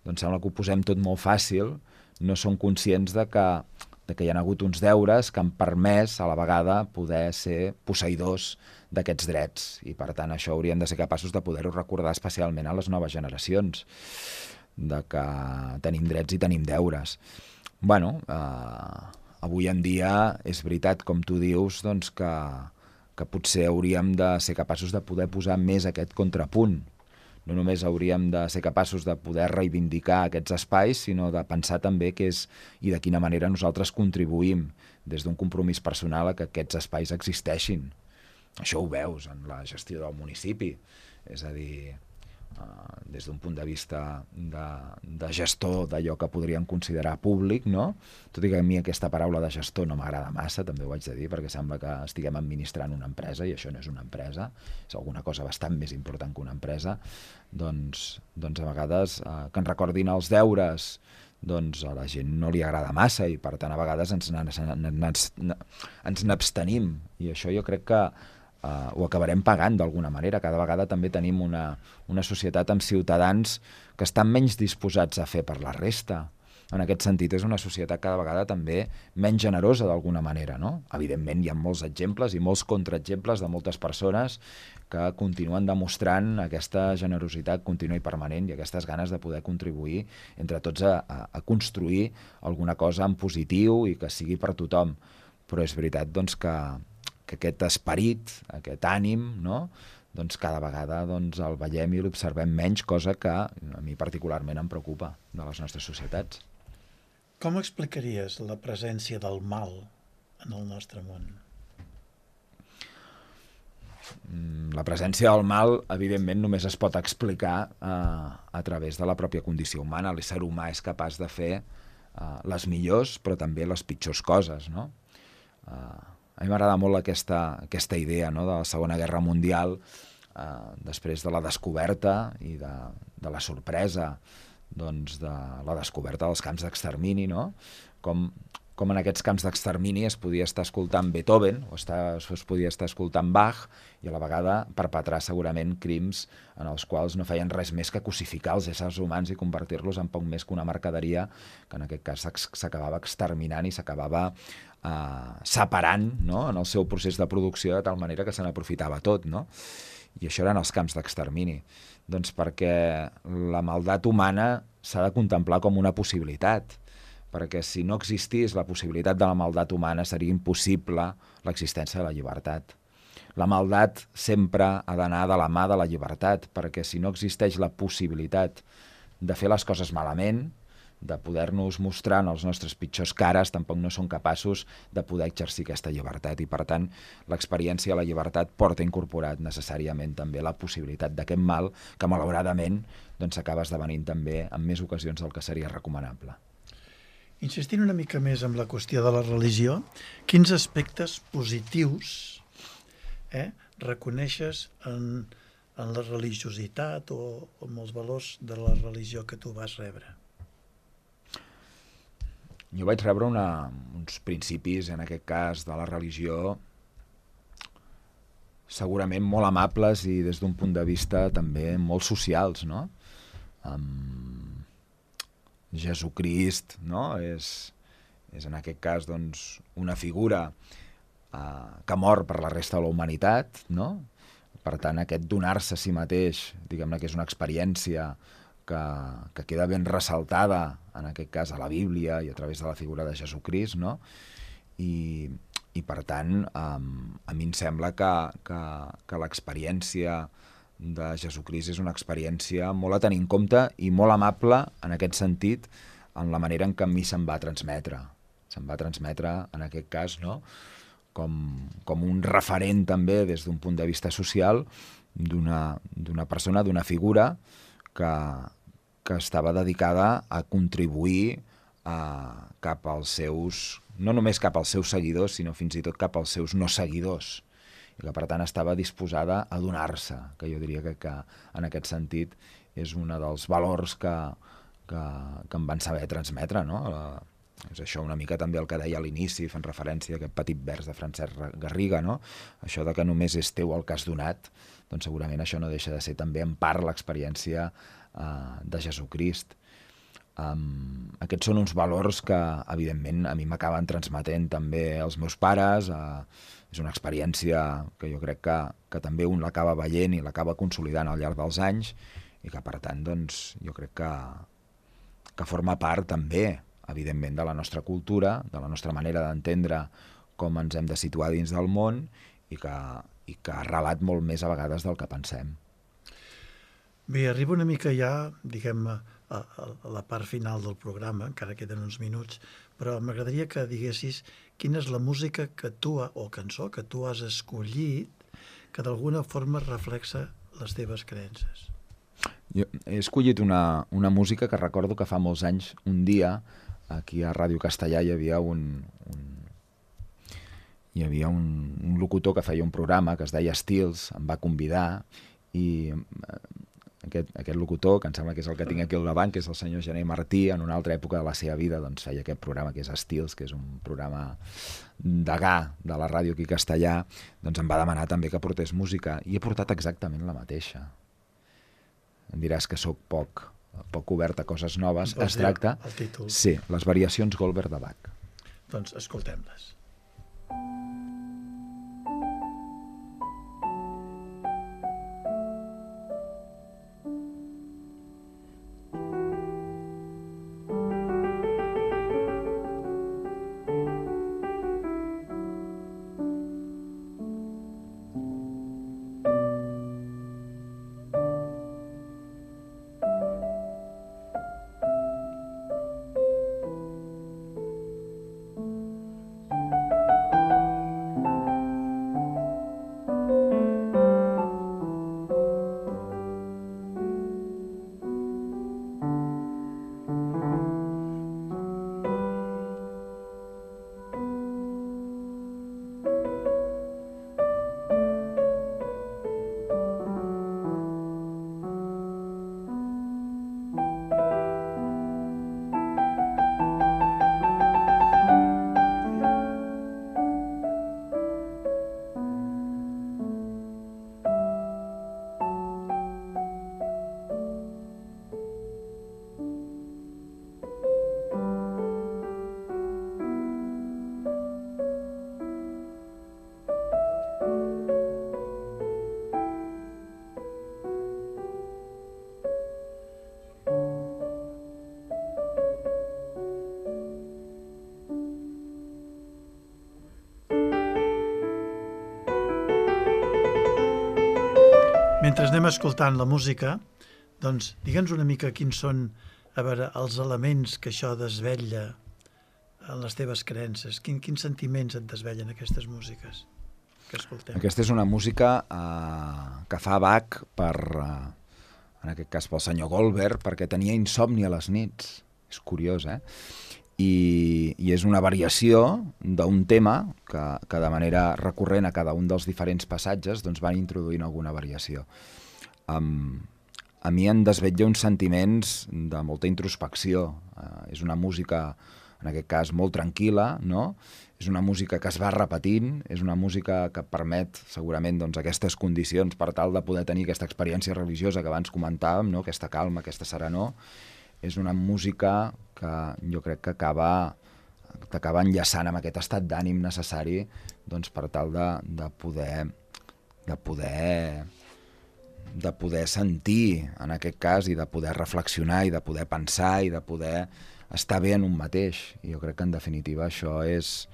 doncs sembla que ho posem tot molt fàcil, no són conscients de que hi ha hagut uns deures que han permès a la vegada poder ser posseïdors d'aquests drets. I per tant això hauríem de ser capaços de poder-ho recordar especialment a les noves generacions, de que tenim drets i tenim deures. Bueno, avui en dia és veritat, com tu dius, doncs que potser hauríem de ser capaços de poder posar més aquest contrapunt. No només hauríem de ser capaços de poder reivindicar aquests espais, sinó de pensar també què és i de quina manera nosaltres contribuïm des d'un compromís personal a que aquests espais existeixin. Això ho veus en la gestió del municipi. És a dir, des d'un punt de vista de gestor d'allò que podríem considerar públic, no? Tot i que a mi aquesta paraula de gestor no m'agrada massa, també ho haig de dir, perquè sembla que estiguem administrant una empresa i això no és una empresa, és alguna cosa bastant més important que una empresa. Doncs a vegades que ens recordin els deures, doncs a la gent no li agrada massa i per tant a vegades ens n'abstenim, i això jo crec que ho acabarem pagant d'alguna manera. Cada vegada també tenim una societat amb ciutadans que estan menys disposats a fer per la resta. En aquest sentit, és una societat cada vegada també menys generosa d'alguna manera, no? Evidentment, hi ha molts exemples i molts contraexemples de moltes persones que continuen demostrant aquesta generositat contínua i permanent i aquestes ganes de poder contribuir entre tots a construir alguna cosa en positiu i que sigui per tothom. Però és veritat, doncs, que aquest esperit, aquest ànim, no?, doncs cada vegada el veiem i l'observem menys, cosa que a mi particularment em preocupa de les nostres societats. Com explicaries la presència del mal en el nostre món? La presència del mal, evidentment, només es pot explicar a través de la pròpia condició humana. L'ésser humà és capaç de fer les millors, però també les pitjors coses, no? A mi m'agrada molt aquesta idea, no?, de la Segona Guerra Mundial, després de la descoberta i de la sorpresa, doncs, de la descoberta dels camps d'extermini, no?, com com en aquests camps d'extermini es podia estar escoltant Beethoven o es podia estar escoltant Bach i a la vegada perpetrar segurament crims en els quals no feien res més que cosificar els éssers humans i convertir-los en poc més que una mercaderia que en aquest cas s'acabava exterminant i s'acabava separant, no?, en el seu procés de producció de tal manera que se n'aprofitava tot, no? I això eren els camps d'extermini. Doncs perquè la maldat humana s'ha de contemplar com una possibilitat, perquè si no existís la possibilitat de la maldat humana seria impossible l'existència de la llibertat. La maldat sempre ha d'anar de la mà de la llibertat, perquè si no existeix la possibilitat de fer les coses malament, de poder-nos mostrar en els nostres pitjors cares, tampoc no som capaços de poder exercir aquesta llibertat. I per tant, l'experiència de la llibertat porta incorporat necessàriament també la possibilitat d'aquest mal que malauradament s'acaba esdevenint també en més ocasions del que seria recomanable. Insistint una mica més en la qüestió de la religió, quins aspectes positius reconeixes en la religiositat o en els valors de la religió que tu vas rebre? Jo vaig rebre uns principis, en aquest cas, de la religió segurament molt amables i des d'un punt de vista també molt socials, no? Jesucrist, no?, és en aquest cas doncs, una figura que mor per la resta de la humanitat, no? Per tant, aquest donar-se a si mateix, diguem-ne que és una experiència que queda ben ressaltada, en aquest cas, a la Bíblia i a través de la figura de Jesucrist, no? I per tant, a mi em sembla que l'experiència de Jesucrist és una experiència molt a tenir en compte i molt amable, en aquest sentit, en la manera en què a mi se'm va transmetre. Se'm va transmetre, en aquest cas, no?, com un referent també des d'un punt de vista social d'una persona, d'una figura que estava dedicada a contribuir cap als seus, no només cap als seus seguidors, sinó fins i tot cap als seus no seguidors, i que per tant estava disposada a donar-se, que jo diria que en aquest sentit és un dels valors que em van saber transmetre, no? És això una mica també el que deia a l'inici, fent referència a aquest petit vers de Francesc Garriga, no? Això de que només és teu el que has donat, doncs segurament això no deixa de ser també en part l'experiència de Jesucrist. Aquests són uns valors que, evidentment, a mi m'acaben transmetent també els meus pares. És una experiència que jo crec que també un l'acaba veient i l'acaba consolidant al llarg dels anys i que, per tant, doncs, jo crec que forma part també, evidentment, de la nostra cultura, de la nostra manera d'entendre com ens hem de situar dins del món i que ha relat molt més a vegades del que pensem. Bé, arriba una mica ja, diguem, a la part final del programa, encara queden uns minuts, però m'agradaria que diguessis quina és la música que tu, o cançó que tu has escollit que d'alguna forma reflexa les teves creences. Jo he escollit una música que recordo que fa molts anys, un dia, aquí a Ràdio Castellà hi havia un locutor que feia un programa que es deia Estils, em va convidar i aquest locutor, que em sembla que és el que tinc aquí al davant, que és el senyor Gené Martí, en una altra època de la seva vida doncs feia aquest programa que és Estils, que és un programa degà de la ràdio aquí a Castellà, doncs em va demanar també que portés música i he portat exactament la mateixa. Em diràs que sóc poc obert a coses noves. Es tracta... El títol. Sí, les variacions Goldberg de Bach. Doncs escoltem-les. mentre anem escoltant la música, doncs digue'ns una mica quins són, a veure, els elements que això desvetlla en les teves creences. Quins sentiments et desvellen aquestes músiques que escoltem? Aquesta és una música que fa Bach per, en aquest cas pel senyor Goldberg, perquè tenia insomni a les nits. És curiós, I és una variació d'un tema que de manera recurrent a cada un dels diferents passatges doncs van introduint alguna variació. A mi em desvetlla uns sentiments de molta introspecció. És una música, en aquest cas, molt tranquil·la, no? És una música que es va repetint, és una música que permet segurament doncs, aquestes condicions per tal de poder tenir aquesta experiència religiosa que abans comentàvem, no? Aquesta calma, aquesta serenor. És una música que jo crec que t'acaba enllaçant amb aquest estat d'ànim necessari doncs, per tal de poder sentir, en aquest cas, i de poder reflexionar, i de poder pensar, i de poder estar bé en un mateix. I jo crec que, en definitiva, això és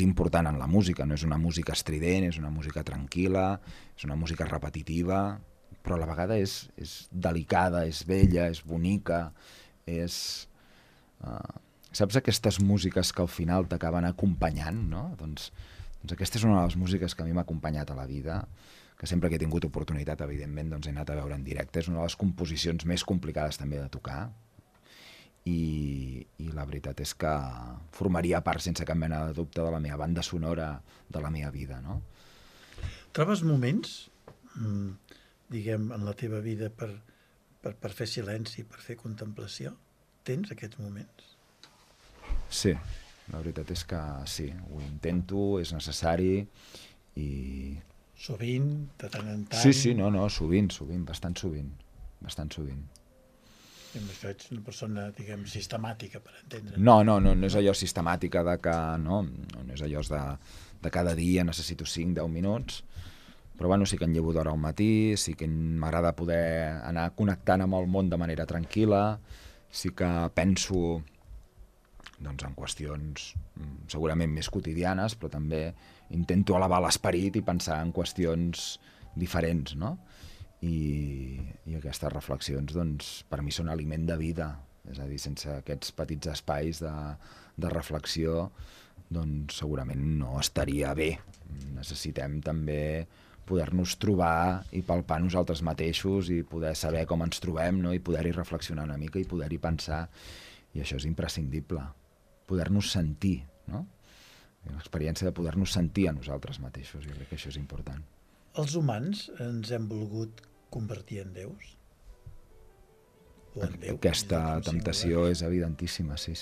important en la música. No és una música estrident, és una música tranquil·la, és una música repetitiva, però a la vegada és delicada, és bella, és bonica, saps aquestes músiques que al final t'acaben acompanyant, no? Doncs aquesta és una de les músiques que a mi m'ha acompanyat a la vida, que sempre que he tingut oportunitat, evidentment, doncs he anat a veure en directe. És una de les composicions més complicades també de tocar, i la veritat és que formaria part, sense cap mena de dubte, de la meva banda sonora de la meva vida, no? Trobes moments, diguem, en la teva vida per fer silenci, per fer contemplació? Tens aquests moments? Sí, la veritat és que sí, ho intento, és necessari i... Sovint, de tant en tant? Sí, no, sovint, bastant sovint. Això ets una persona, diguem, sistemàtica, per entendre. No és allò sistemàtica de que, no és allò de cada dia necessito 5-10 minuts, però bueno, sí que em llevo d'hora al matí, sí que m'agrada poder anar connectant amb el món de manera tranquil·la, sí que penso doncs, en qüestions segurament més quotidianes, però també intento elevar l'esperit i pensar en qüestions diferents, no? I aquestes reflexions doncs, per mi són aliment de vida, és a dir, sense aquests petits espais de reflexió doncs segurament no estaria bé. Necessitem també poder-nos trobar i palpar nosaltres mateixos i poder saber com ens trobem, no? I poder-hi reflexionar una mica i poder-hi pensar, i això és imprescindible, poder-nos sentir, no? L'experiència de poder-nos sentir a nosaltres mateixos, jo crec que això és important. Els humans ens hem volgut convertir en déus? O en Déu? Aquesta temptació és evidentíssima, sí.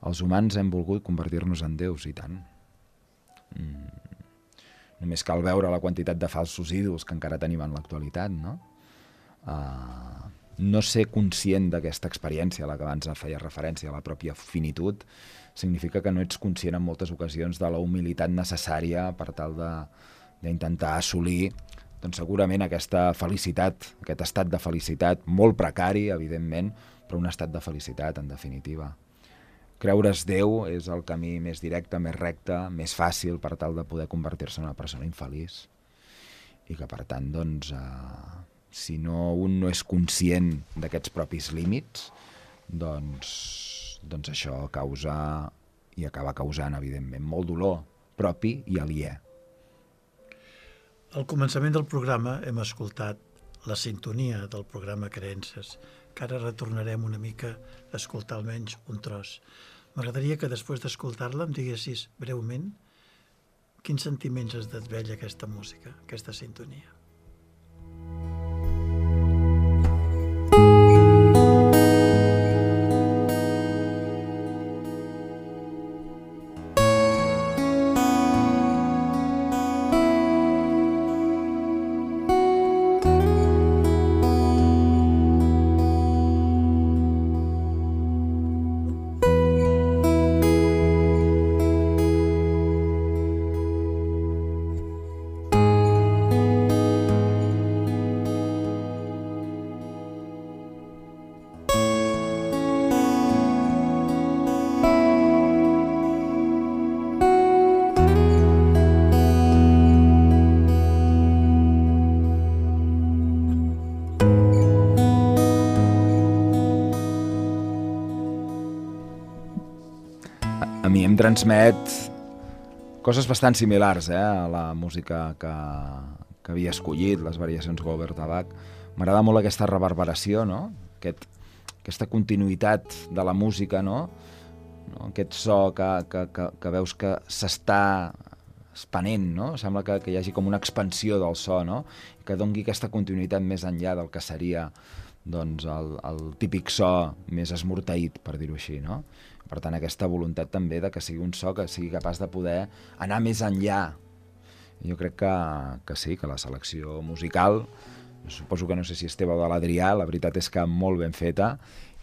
Els humans hem volgut convertir-nos en déus, i tant. Només cal veure la quantitat de falsos ídols que encara tenim en l'actualitat, no? No ser conscient d'aquesta experiència a la que abans feia referència, a la pròpia finitud, significa que no ets conscient en moltes ocasions de la humilitat necessària per tal d'intentar assolir doncs segurament aquesta felicitat, aquest estat de felicitat, molt precari, evidentment, però un estat de felicitat, en definitiva. Creure's Déu és el camí més directe, més recte, més fàcil per tal de poder convertir-se en una persona infeliç. I que, per tant, doncs, si un no és conscient d'aquests propis límits, doncs això causa i acaba causant, evidentment, molt dolor propi i aliè. Al començament del programa hem escoltat la sintonia del programa Creences, que ara retornarem una mica a escoltar almenys un tros. M'agradaria que després d'escoltar-la em diguessis breument quins sentiments es desvella aquesta música, aquesta sintonia. a mi em transmet coses bastant similars a la música que havia escollit, les variacions Goldberg de Bach. M'agrada molt aquesta reverberació, no? Aquesta continuïtat de la música, no? Aquest so que veus que s'està expanent, no? Sembla que hi hagi com una expansió del so, no? Que doni aquesta continuïtat més enllà del que seria doncs, el típic so més esmorteït, per dir-ho així, no? Per tant, aquesta voluntat també de que sigui un so que sigui capaç de poder anar més enllà. Jo crec que sí, que la selecció musical, suposo que no sé si és teva o de l'Adrià, la veritat és que molt ben feta,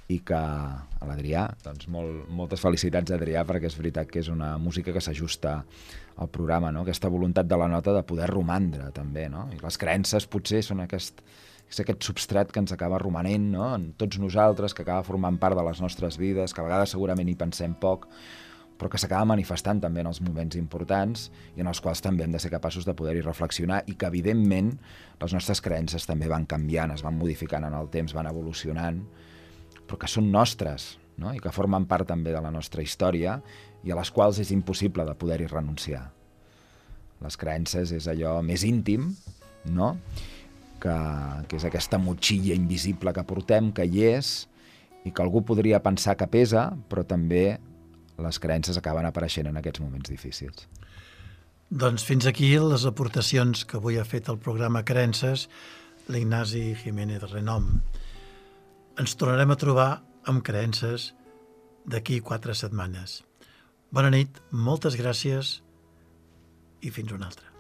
i que a l'Adrià, doncs moltes felicitats a Adrià, perquè és veritat que és una música que s'ajusta al programa, no? Aquesta voluntat de la nota de poder romandre també, no? I les creences potser són aquest substrat que ens acaba romanent, no? En tots nosaltres, que acaba formant part de les nostres vides, que a vegades segurament hi pensem poc, però que s'acaba manifestant també en els moments importants i en els quals també hem de ser capaços de poder-hi reflexionar, i que evidentment les nostres creences també van canviant, es van modificant en el temps, van evolucionant, però que són nostres, no? I que formen part també de la nostra història i a les quals és impossible de poder-hi renunciar. Les creences és allò més íntim, no? Que és aquesta motxilla invisible que portem, que hi és, i que algú podria pensar que pesa, però també les creences acaben apareixent en aquests moments difícils. Doncs fins aquí les aportacions que avui ha fet el programa Creences l'Ignasi Jiménez Renom. Ens tornarem a trobar amb Creences d'aquí 4 setmanes. Bona nit, moltes gràcies i fins una altra.